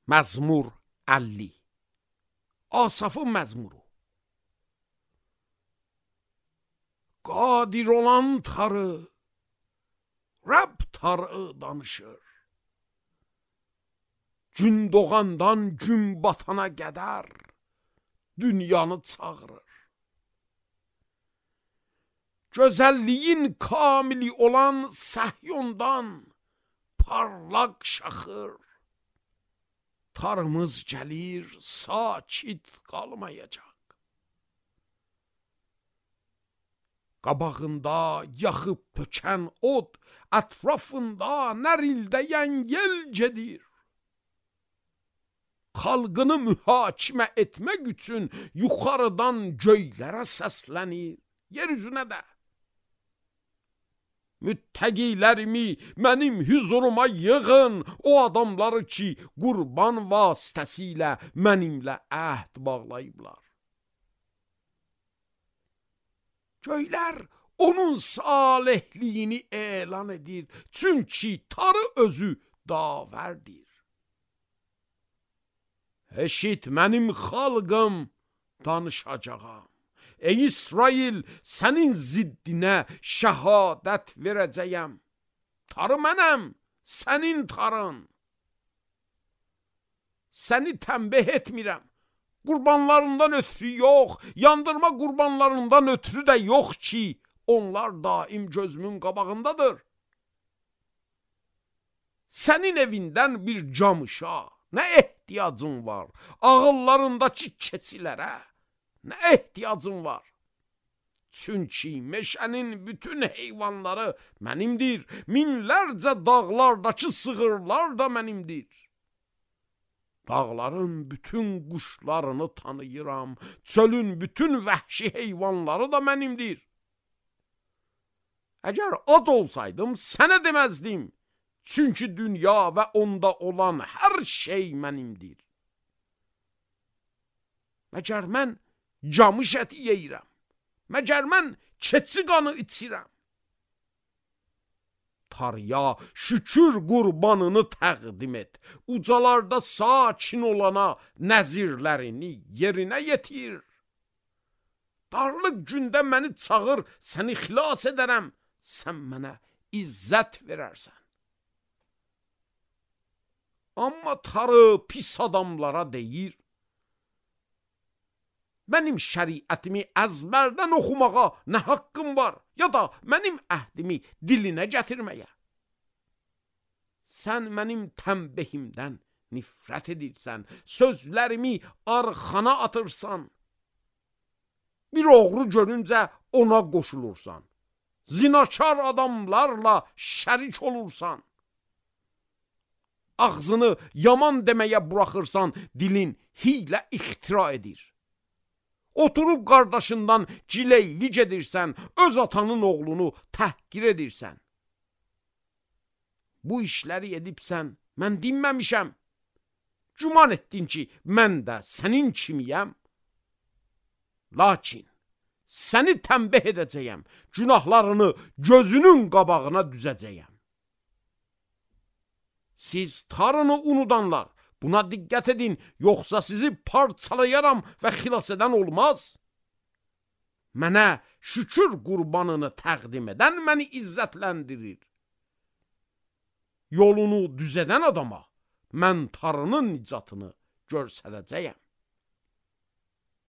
Məzmur 50. Asafın məzmuru. Qadir olan tarı, Rəbb tarı danışır. Gün doğandan gün batana qədər dünyanı çağırır. Gözəlliyin kamili olan Səhyondan parlaq şaxır. Tarımız gəlir, sakit qalmayacaq. Qabağında yaxıb tökən od, ətrafında nərildəyən yel gedir. Xalqını mühakimə etmək üçün yuxarıdan göylərə səslənir, yeryüzünə də. Müttəqilərimi mənim hüzuruma yığın, o adamları ki, qurban vasitəsilə mənimlə əhd bağlayıblar. Göylər onun salihliyini elan edir, çünki tarı özü davərdir. Eşit mənim xalqım, danışacağam. Ey İsrail, sənin ziddinə şəhadət verəcəyəm. Tarı mənəm, sənin tarın. Səni tənbih etmirəm. Qurbanlarından ötürü yox, yandırma qurbanlarından ötürü də yox ki, onlar daim gözümün qabağındadır. Sənin evindən bir camışa nə ehtiyacın var? Ağıllarındakı keçilərə nə ehtiyacın var? Çünki meşənin bütün heyvanları mənimdir. Minlərcə dağlardakı sığırlar da mənimdir. Dağların bütün quşlarını tanıyıram. Çölün bütün vəhşi heyvanları da mənimdir. Əgər ac olsaydım, sənə deməzdim. Çünki dünya və onda olan hər şey mənimdir. Məgər mən camış əti yeyirəm. Məgər mən keçi qanı içirəm. Tarıya şükür qurbanını təqdim et. Ucalarda sakin olana nəzirlərini yerinə yetir. Darlıq gündə məni çağır, səni xilas edərəm. Sən mənə izzət verərsən. Amma tarı pis adamlara deyir, mənim şəriətimi əzbərdən oxumağa nə haqqım var, ya da mənim əhdimi dilinə gətirməyə. Sən mənim tənbihimdən nifrət edirsən, sözlərimi arxana atırsan. Bir oğru görüncə ona qoşulursan, zinakar adamlarla şərik olursan. Ağzını yaman deməyə buraxırsan, dilin hiylə ixtira edir. Oturub qardaşından cileyli gedirsən, öz atanın oğlunu təhqir edirsən. Bu işləri edibsən, mən dinməmişəm. Güman etdin ki, mən də sənin kimiyəm. Lakin səni tənbih edəcəyəm, günahlarını gözünün qabağına düzəcəyəm. Siz tarını unudanlar, buna diqqət edin, yoxsa sizi parçalayaram və xilas edən olmaz. Mənə şükür qurbanını təqdim edən məni izzətləndirir. Yolunu düzədən adama mən tarının nicatını göstərəcəyəm.